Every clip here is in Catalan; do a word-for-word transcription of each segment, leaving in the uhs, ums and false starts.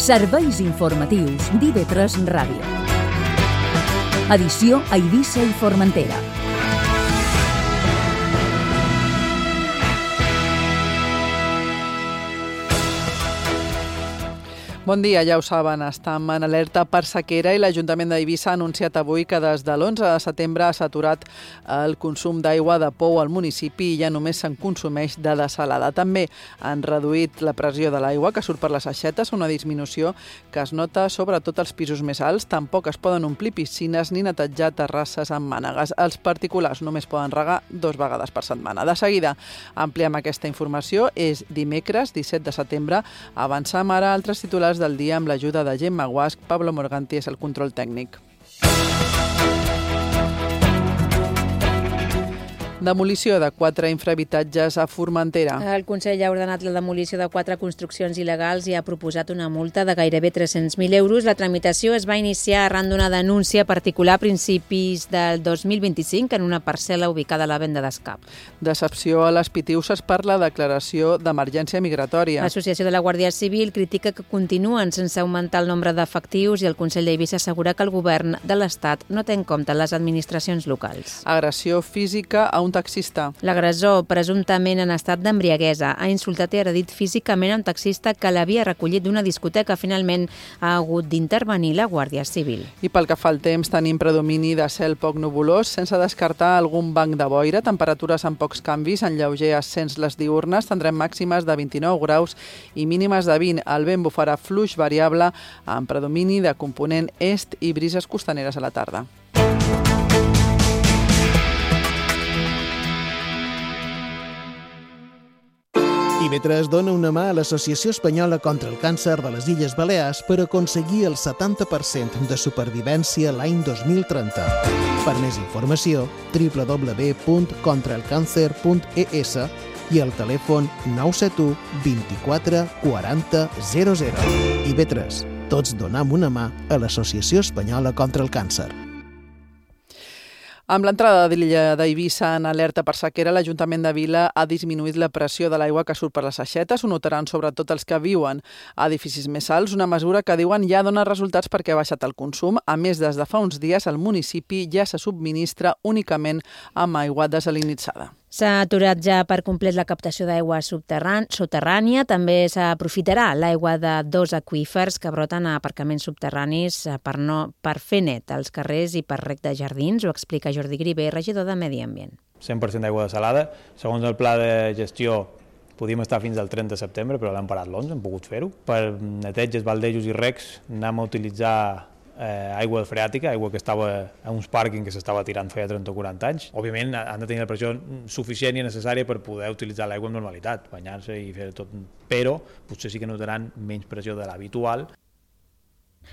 Serveis informatius d'I V tres Ràdio. Edició a Eivissa i Formentera. Bon dia, ja ho saben, estem en alerta per sequera i l'Ajuntament d'Eivissa ha anunciat avui que des de l'onze de setembre s'ha aturat el consum d'aigua de pou al municipi i ja només se'n consumeix de dessalada. També han reduït la pressió de l'aigua que surt per les aixetes, una disminució que es nota sobretot als pisos més alts. Tampoc es poden omplir piscines ni netejar terrasses amb mànegues. Els particulars només poden regar dues vegades per setmana. De seguida ampliem aquesta informació. És dimecres, disset de setembre. Avancem ara a altres titulars del dia amb l'ajuda de Gemma Guasch. Pablo Morganti és el control tècnic. Demolició de quatre infrahabitatges a Formentera. El Consell ha ordenat la demolició de quatre construccions il·legals i ha proposat una multa de gairebé tres-cents mil euros. La tramitació es va iniciar arran d'una denúncia particular a principis del dos mil vint-i-cinc en una parcel·la ubicada a la venda d'Escap. Decepció a les Pitiuses per la declaració d'emergència migratòria. L'Associació de la Guàrdia Civil critica que continuen sense augmentar el nombre d'efectius i el Consell d'Eivissa assegura que el govern de l'Estat no té en compte les administracions locals. Agressió física a un taxista. L'agressor, presumptament en estat d'embriaguesa, ha insultat i agredit físicament un taxista que l'havia recollit d'una discoteca. Finalment ha hagut d'intervenir la Guàrdia Civil. I pel que fa al temps, tenim predomini de cel poc nuvolós, sense descartar algun banc de boira, temperatures amb pocs canvis, en lleuger ascens les diürnes, tindrem màximes de vint-i-nou graus i mínimes de vint. El vent bufarà fluix variable amb predomini de component est i brises costaneres a la tarda. I V tres dona una mà a l'Associació Espanyola contra el Càncer de les Illes Balears per aconseguir el setanta per cent de supervivència l'any dos mil trenta. Per més informació, w w w punt contra el càncer punt e s i el telèfon nou set u vint-i-quatre quaranta zero zero. I V tres, tots donam una mà a l'Associació Espanyola contra el Càncer. Amb l'entrada de l'illa d'Eivissa en alerta per sequera, l'Ajuntament de Vila ha disminuït la pressió de l'aigua que surt per les aixetes. Ho notaran sobretot els que viuen a edificis més alts, una mesura que diuen ja dona resultats perquè ha baixat el consum. A més, des de fa uns dies, el municipi ja se subministra únicament amb aigua desalinitzada. S'ha aturat ja per complet la captació d'aigua soterrània. També s'aprofitarà l'aigua de dos aqüífers que broten a aparcaments subterranis per, no, per fer net als carrers i per rec de jardins. Ho explica Jordi Griver, regidor de Medi Ambient. cent per cent d'aigua desalada. Segons el pla de gestió, podíem estar fins al trenta de setembre, però l'hem parat l'onze, hem pogut fer-ho. Per neteges, baldejos i recs anem a utilitzar Eh, aigua freàtica, aigua que estava a uns pàrquings que s'estava tirant feia trenta o quaranta anys. Òbviament han de tenir la pressió suficient i necessària per poder utilitzar l'aigua amb normalitat, banyar-se i fer tot, però potser sí que notaran menys pressió de l'habitual.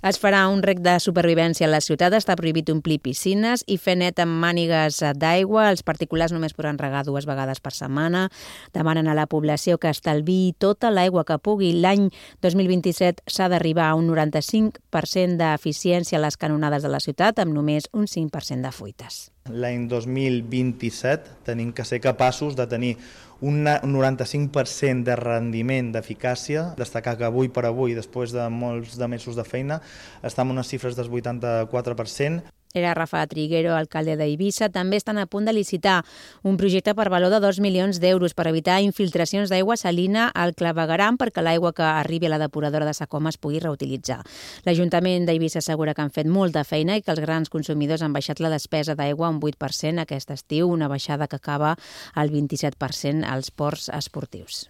Es farà un rec de supervivència a la ciutat, està prohibit omplir piscines i fer net amb mànigues d'aigua. Els particulars només podran regar dues vegades per setmana. Demanen a la població que estalviï tota l'aigua que pugui. L'any dos mil vint-i-set s'ha d'arribar a un noranta-cinc per cent d'eficiència a les canonades de la ciutat, amb només un cinc per cent de fuites. L'any dos mil vint-i-set tenim que ser capaços de tenir un noranta-cinc per cent de rendiment d'eficàcia. Destacar que avui per avui, després de molts de mesos de feina, estem en unes xifres del vuitanta-quatre per cent. Era Rafa Triguero, alcalde d'Eivissa. També estan a punt de licitar un projecte per valor de dos milions d'euros per evitar infiltracions d'aigua salina al clavegueram perquè l'aigua que arribi a la depuradora de Sacoma es pugui reutilitzar. L'Ajuntament d'Eivissa assegura que han fet molta feina i que els grans consumidors han baixat la despesa d'aigua un vuit per cent aquest estiu, una baixada que acaba al vint-i-set per cent als ports esportius.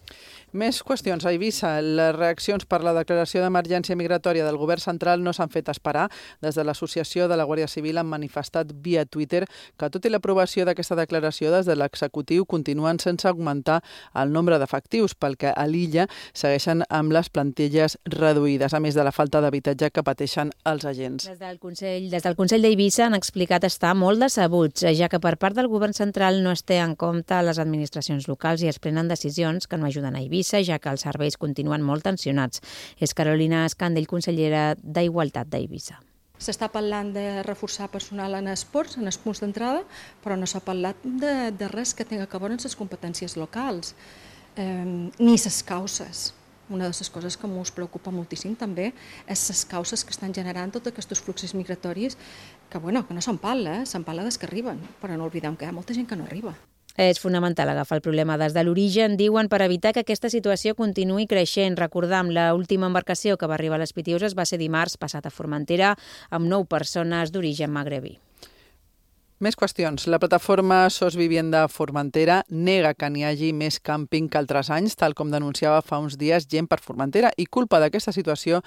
Més qüestions a Eivissa. Les reaccions per la declaració d'emergència migratòria del govern central no s'han fet esperar. Des de l'Associació de la Guàrdia Civil han manifestat via Twitter que tot i l'aprovació d'aquesta declaració des de l'executiu continuen sense augmentar el nombre d'efectius, pel que a l'illa segueixen amb les plantilles reduïdes, a més de la falta d'habitatge que pateixen els agents. Des del Consell, des del Consell d'Eivissa han explicat estar molt decebuts, ja que per part del govern central no es té en compte les administracions locals i es prenen decisions que no ajuden a Eivissa, ja que els serveis continuen molt tensionats. És Carolina Escandell, consellera d'Igualtat d'Eivissa. S'està parlant de reforçar personal en esports, en els punts d'entrada, però no s'ha parlat de, de res que tingui a veure amb les competències locals, eh, ni les causes. Una de les coses que ens preocupa moltíssim també és les causes que estan generant tots aquests fluxos migratoris que, bueno, que no se'n parla, eh? Se'n parla des que arriben, però no oblidem que hi ha molta gent que no arriba. És fonamental agafar el problema des de l'origen, diuen, per evitar que aquesta situació continuï creixent. Recordam, l'última embarcació que va arribar a les Pitiüses va ser dimarts passat a Formentera amb nou persones d'origen magrebí. Més qüestions. La plataforma Sos Vivienda Formentera nega que n'hi hagi més càmping que altres anys, tal com denunciava fa uns dies Gent per Formentera, i culpa d'aquesta situació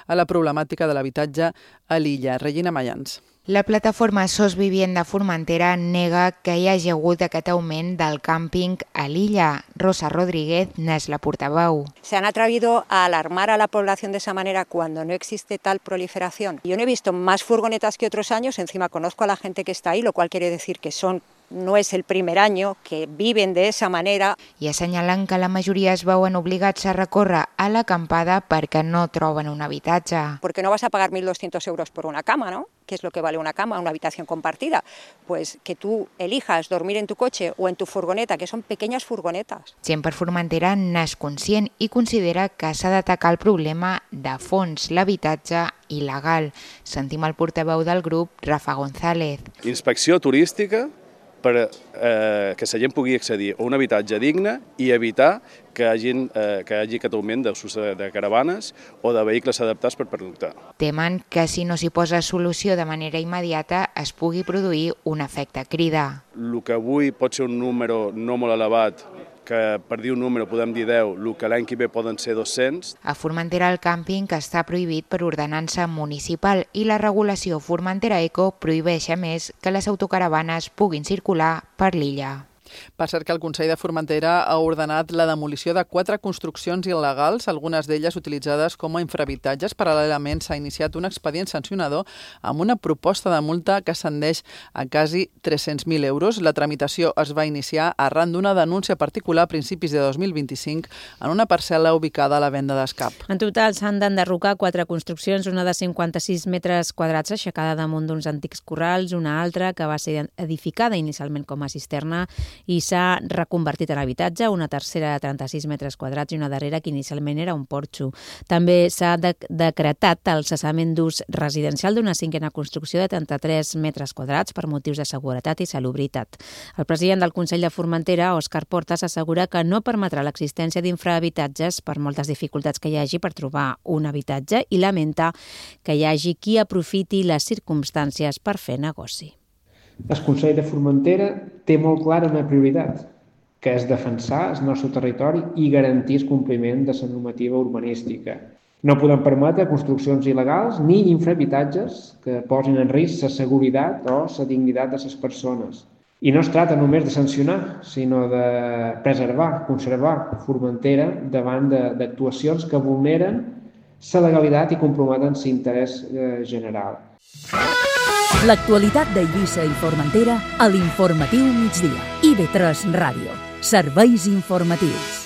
a la problemàtica de l'habitatge a l'illa. Regina Mayans. La plataforma Sos Vivienda Formentera nega que hi hagi hagut aquest augment del càmping a l'illa. Rosa Rodríguez n'és la portaveu. Se han atrevido a alarmar a la población de esa manera cuando no existe tal proliferación. Yo no he visto más furgonetas que otros años, encima conozco a la gente que está ahí, lo cual quiere decir que son no és el primer any que viven de esa manera. I assenyalen que la majoria es veuen obligats a recórrer a l'acampada perquè no troben un habitatge. Porque no vas a pagar mil doscientos euros por una cama, ¿no? ¿Qué es lo que vale una cama, una habitación compartida? Pues que tú elijas dormir en tu coche o en tu furgoneta, que son pequeñas furgonetas. Gent per Formentera n'és conscient i considera que s'ha d'atacar el problema de fons, l'habitatge il·legal. Sentim el portaveu del grup, Rafa González. Inspecció turística per eh, que la gent pugui accedir a un habitatge digne i evitar que, hagin, eh, que hi hagi aquest augment d'ús de caravanes o de vehicles adaptats per pernoctar. Temen que si no s'hi posa solució de manera immediata es pugui produir un efecte crida. El que avui pot ser un número no molt elevat, que per dir un número podem dir deu, el que l'any que ve poden ser dos-cents. A Formentera el càmping està prohibit per ordenança municipal i la regulació Formentera Eco prohibeix a més que les autocaravanes puguin circular per l'illa. Per cert que el Consell de Formentera ha ordenat la demolició de quatre construccions il·legals, algunes d'elles utilitzades com a infrahabitatges. Paral·lelament s'ha iniciat un expedient sancionador amb una proposta de multa que ascendeix a quasi tres-cents mil euros. La tramitació es va iniciar arran d'una denúncia particular a principis de dos mil vint-i-cinc en una parcel·la ubicada a la venda d'Escap. En total s'han d'enderrocar quatre construccions, una de cinquanta-sis metres quadrats aixecada damunt d'uns antics corrals, una altra que va ser edificada inicialment com a cisterna i s'ha reconvertit en habitatge, una tercera de trenta-sis metres quadrats i una darrera que inicialment era un porxo. També s'ha de decretat el cessament d'ús residencial d'una cinquena construcció de trenta-tres metres quadrats per motius de seguretat i salubritat. El president del Consell de Formentera, Òscar Portas, assegura que no permetrà l'existència d'infrahabitatges per moltes dificultats que hi hagi per trobar un habitatge i lamenta que hi hagi qui aprofiti les circumstàncies per fer negoci. El Consell de Formentera té molt clara una prioritat, que és defensar el nostre territori i garantir el compliment de la normativa urbanística. No podem permetre construccions il·legals ni infrahabitatges que posin en risc la seguretat o la dignitat de les persones. I no es tracta només de sancionar, sinó de preservar, conservar Formentera davant d'actuacions que vulneren la legalitat i comprometen l'interès general. L'actualitat d'Eivissa i Formentera a l'Informatiu Migdia. I ve tres Ràdio. Serveis informatius.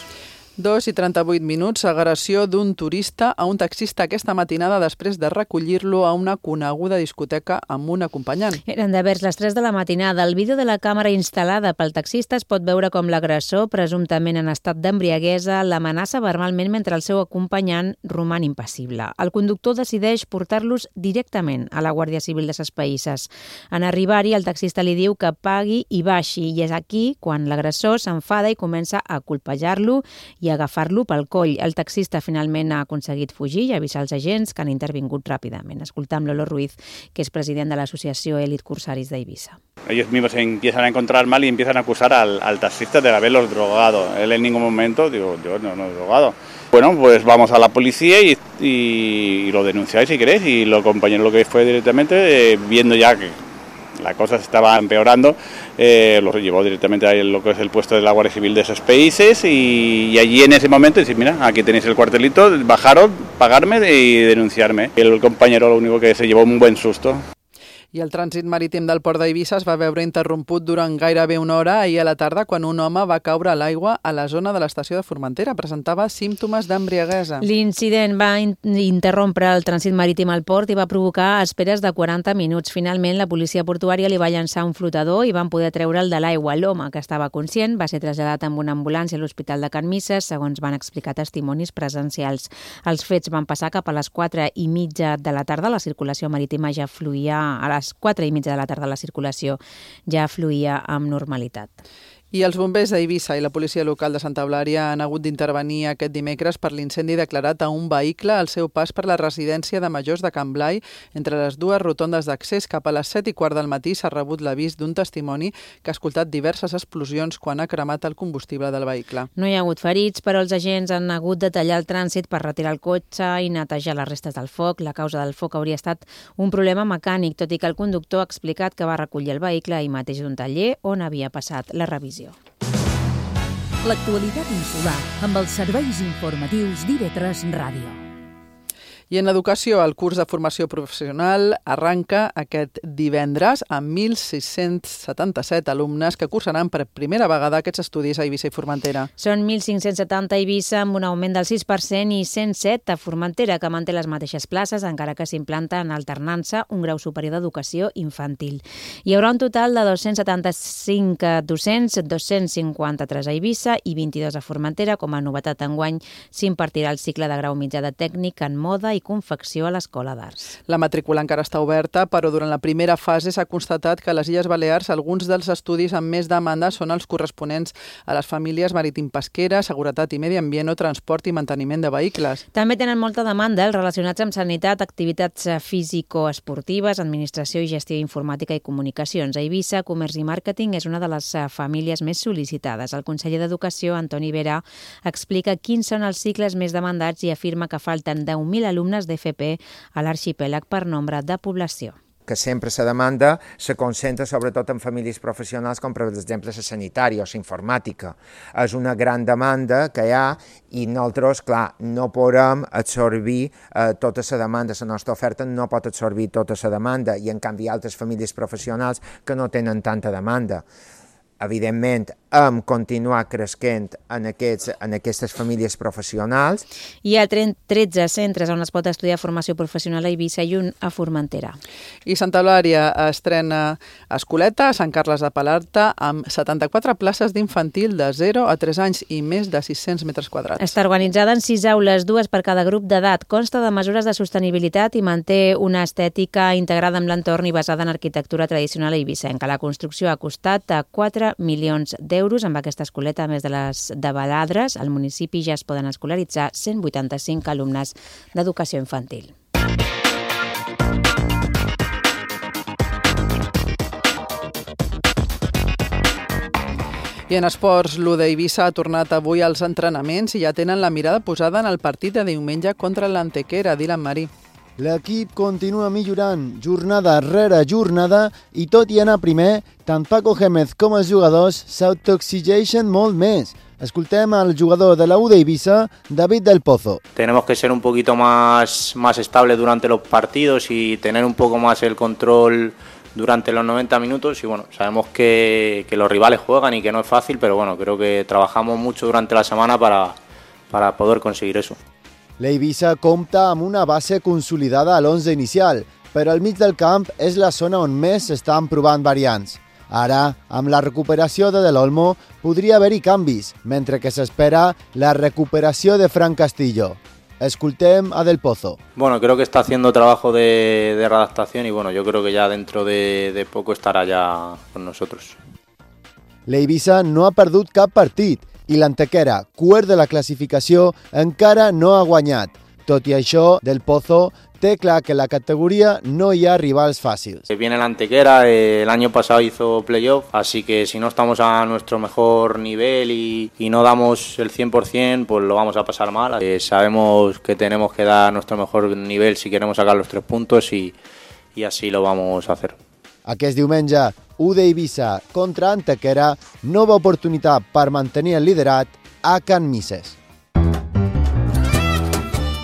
Dos i trenta-vuit minuts, agressió d'un turista a un taxista aquesta matinada després de recollir-lo a una coneguda discoteca amb un acompanyant. Eren de vers les tres de la matinada. El vídeo de la càmera instal·lada pel taxista es pot veure com l'agressor, presumptament en estat d'embriaguesa, l'amenaça verbalment mentre el seu acompanyant roman impassible. El conductor decideix portar-los directament a la Guàrdia Civil de Ses Païsses. En arribar-hi, el taxista li diu que pagui i baixi, i és aquí quan l'agressor s'enfada i comença a colpejar-lo i agafar-lo pel coll. El taxista finalment ha aconseguit fugir i avisar els agents que han intervingut ràpidament. Escoltam Lolo Ruiz, que és president de l'associació Elit Cursaris d'Eivissa. Ellos mismos se empiezan a encontrar mal y empiezan a acusar al, al taxista de haberlos drogado. Él en ningún momento, digo, yo no, no he drogado. Bueno, pues vamos a la policía y, y, y lo denunciáis si queréis. Y lo compañero lo que fue directamente, eh, viendo ya que la cosa se estaba empeorando, eh, los llevó directamente a lo que es el puesto de la Guardia Civil de esos países y, y allí en ese momento decir, mira, aquí tenéis el cuartelito, bajaros, pagarme y denunciarme. El compañero lo único que se llevó un buen susto. I el trànsit marítim del port d'Eivissa es va veure interromput durant gairebé una hora ahir a la tarda quan un home va caure a l'aigua a la zona de l'estació de Formentera. Presentava símptomes d'embriaguesa. L'incident va in interrompre el trànsit marítim al port i va provocar esperes de quaranta minuts. Finalment, la policia portuària li va llançar un flotador i van poder treure'l de l'aigua. L'home, que estava conscient, va ser traslladat amb una ambulància a l'Hospital de Can Misses, segons van explicar testimonis presencials. Els fets van passar cap a les quatre i mitja de la tarda. La circulació marítima ja fluïa a les A les quatre i mitja de la tarda la circulació ja fluïa amb normalitat. I els bombers d'Eivissa i la policia local de Santa Eulària han hagut d'intervenir aquest dimecres per l'incendi declarat a un vehicle al seu pas per la residència de majors de Can Blai. Entre les dues rotondes d'accés cap a les set i quart del matí s'ha rebut l'avís d'un testimoni que ha escoltat diverses explosions quan ha cremat el combustible del vehicle. No hi ha hagut ferits, però els agents han hagut de tallar el trànsit per retirar el cotxe i netejar les restes del foc. La causa del foc hauria estat un problema mecànic, tot i que el conductor ha explicat que va recollir el vehicle ahir mateix d'un taller on havia passat la revisió. L'actualitat insular amb els serveis informatius d'I V tres Ràdio. I en educació, el curs de formació professional arranca aquest divendres amb mil sis-cents setanta-set alumnes que cursaran per primera vegada aquests estudis a Eivissa i Formentera. Són mil cinc-cents setanta a Eivissa amb un augment del sis per cent i cent set a Formentera, que manté les mateixes places, encara que s'implanta en alternança un grau superior d'educació infantil. Hi haurà un total de dos-cents setanta-cinc docents, dos-cents cinquanta-tres a Eivissa i vint-i-dos a Formentera. Com a novetat enguany s'impartirà el cicle de grau mitjà de tècnic en moda i confecció a l'Escola d'Arts. La matrícula encara està oberta, però durant la primera fase s'ha constatat que a les Illes Balears alguns dels estudis amb més demanda són els corresponents a les famílies marítim-pesquera, seguretat i medi ambient o transport i manteniment de vehicles. També tenen molta demanda els relacionats amb sanitat, activitats físico-esportives, administració i gestió informàtica i comunicacions. A Eivissa, comerç i màrqueting és una de les famílies més sol·licitades. El conseller d'Educació, Antoni Vera, explica quins són els cicles més demandats i afirma que falten deu mil alumnes d'F P a l'arxipèlag per nombre de població. Que sempre la demanda se concentra sobretot en famílies professionals com per exemple la sanitària o la informàtica. És una gran demanda que hi ha i nosaltres, clar, no podem absorbir eh, tota la demanda. La nostra oferta no pot absorbir tota la demanda i en canvi altres famílies professionals que no tenen tanta demanda. Evidentment, hem continuat creixent en, aquests, en aquestes famílies professionals. Hi ha tretze centres on es pot estudiar formació professional a Eivissa i un a Formentera. I Santa Eulària estrena escoleta a Sant Carles de Palarta amb setanta-quatre places d'infantil de zero a tres anys i més de sis-cents metres quadrats. Està organitzada en sis aules, dues per cada grup d'edat. Consta de mesures de sostenibilitat i manté una estètica integrada amb l'entorn i basada en arquitectura tradicional eivissenca. La construcció ha costat a quatre milions d'euros. Amb aquesta escoleta, a més de les de Baladres, al municipi ja es poden escolaritzar cent vuitanta-cinc alumnes d'educació infantil. I en esports, l'U d'Eivissa ha tornat avui als entrenaments i ja tenen la mirada posada en el partit de diumenge contra l'Antequera. Dylan Marí. L'equip continua millorant jornada rere jornada i tot i anar primer, tant Paco Gémez com els jugadors s'autoexigeixen molt més. Escoltem al jugador de la U d'Eivissa, David del Pozo. Tenemos que ser un poquito más, más estables durante los partidos y tener un poco más el control durante los noventa minutos y bueno, sabemos que, que los rivales juegan y que no es fácil, pero bueno, creo que trabajamos mucho durante la semana para, para poder conseguir eso. L'Eivissa compta amb una base consolidada a l'onze inicial, però al mig del camp és la zona on més s'estan provant variants. Ara, amb la recuperació de Del Olmo, podria haver-hi canvis, mentre que s'espera la recuperació de Fran Castillo. Escoltem a Del Pozo. Bueno, creo que está haciendo trabajo de, de readaptación y bueno, yo creo que ya dentro de, de poco estará ya con nosotros. L'Eivissa no ha perdut cap partit i l'Antequera, quart de la classificació, encara no ha guanyat. Tot i això, Del Pozo té clar que en la categoría no hi ha rivals fàcils. Viene la Antequera, eh, el año pasado hizo playoff, así que si no estamos a nuestro mejor nivel y, y no damos el cien por cien, pues lo vamos a pasar mal. Eh, sabemos que tenemos que dar nuestro mejor nivel si queremos sacar los tres puntos y, y así lo vamos a hacer. Aquest diumenge, U d'Eivissa contra Antequera, nova oportunitat per mantenir el liderat a Can Misses.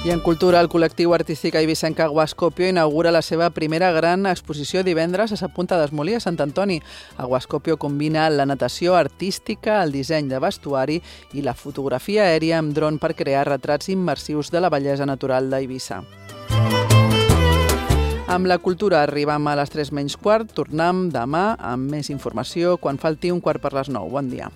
I en cultura, el col·lectiu artístic eivissenc Aguascopio inaugura la seva primera gran exposició divendres a Sa Punta d'Esmolí, a Sant Antoni. Aguascopio combina la natació artística, el disseny de vestuari i la fotografia aèria amb dron per crear retrats immersius de la bellesa natural d'Eivissa. Amb la cultura arribam a les tres menys quart. Tornem demà amb més informació quan falti un quart per les nou. Bon dia.